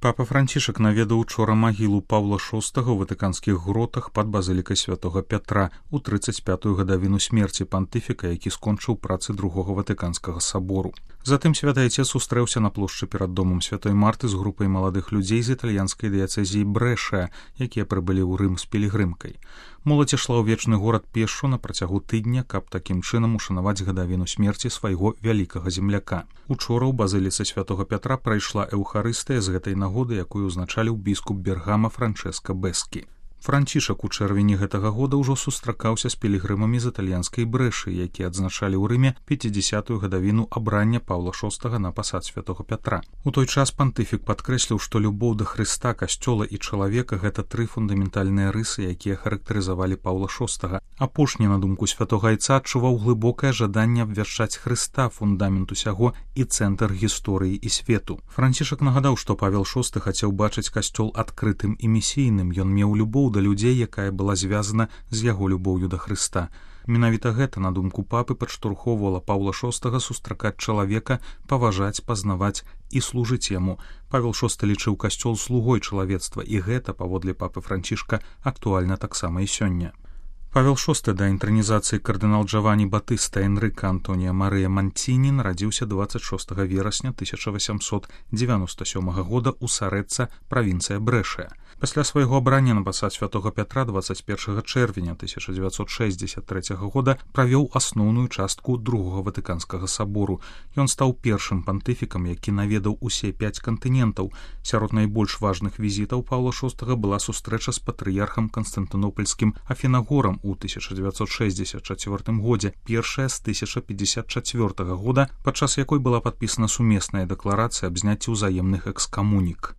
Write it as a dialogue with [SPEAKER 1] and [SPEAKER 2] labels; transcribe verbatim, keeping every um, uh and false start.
[SPEAKER 1] Папа Францішак наведаў учора магілу Паўла шостага ў ватыканскіх гротах пад базылікай святога Пятра ў трыццаць пятую гадавіну смерці пантыфіка, які скончыў працы другога ватыканскага сабору. Затым святы айцец сустрэўся на плошчы перад домам святой Марты з групай маладых людзей з італьянскай дыяцэзіі Брэша, якія прыбылі ў Рым з пілігрымкай. Моладзь ішла ў вечны горад пешшу на працягу тыдня, каб такім чынам ушанаваць гадавіну смерці свайго вялікага земляка. Учора ў базыліцы святога Пятра прайшла эўхарыстыя з гэтай нагоды, якую узначаліў біскуп Бергама Франчэска Бэскі. Францішак у чэрвені гэтага года ўжо сустракаўся з пілігрымамі з італьянскай Брэшы, якія адзначалі ў Рыме пяцідзясятую гадавіну абрання Паўла шостага на пасад святога Пятра. У той час пантыфік падкрэсліў, што любоў да Хрыста, касцёла і чалавека — гэта тры фундаментальныя рысы, якія характарызавалі Паўла шостага. Апошні, на думку святога айца, адчуваў глыбокае жаданне абвяшчаць Хрыста, фундамент усяго і цэнтр гісторыі і свету. Францішак нагадаў, што Павел шосты хацеў бачыць касцёл адкрытым і місійным. Ён меў любоў да людзей, якая была звязана з яго любоўю да Хрыста. Менавіта гэта, на думку папы, падштурхоўвала Паўла шостага сустракаць чалавека, паважаць, пазнаваць і служыць яму. Павел шосты лічыў касцёл слугой чалавецтва, і гэта, паводле папы Францішка, актуальна таксама і сёння. Павел шосты да інтранізацыі кардынал Джавані Батыста Энрыка Антонія Марыя Манціні нарадзіўся дваццаць шостага верасня тысяча васямсот дзевяноста сёмага года ў Сарэцца, правінцыя Брэшыя. Пасля свайго абрання на пасад святога Пятра дваццаць першага чэрвеня тысяча дзевяцьсот шэсцьдзесят трэцяга года правёў асноўную частку другога ватыканскага сабору. Ён стаў першым пантыфікам, які наведаў усе пяць кантынентаў. Сярод найбольш важных візітаў Паўла шостага была сустрэча з патрыярхам канстантынопольскім Афінагорам у тысяча дзевяцьсот шэсцьдзесят чацвёртым годзе, першая з тысяча пятьдесят чацвёртага года, падчас якой была падпісана сумесная дэкларацыя аб зняцці ўзаемных экскамунік.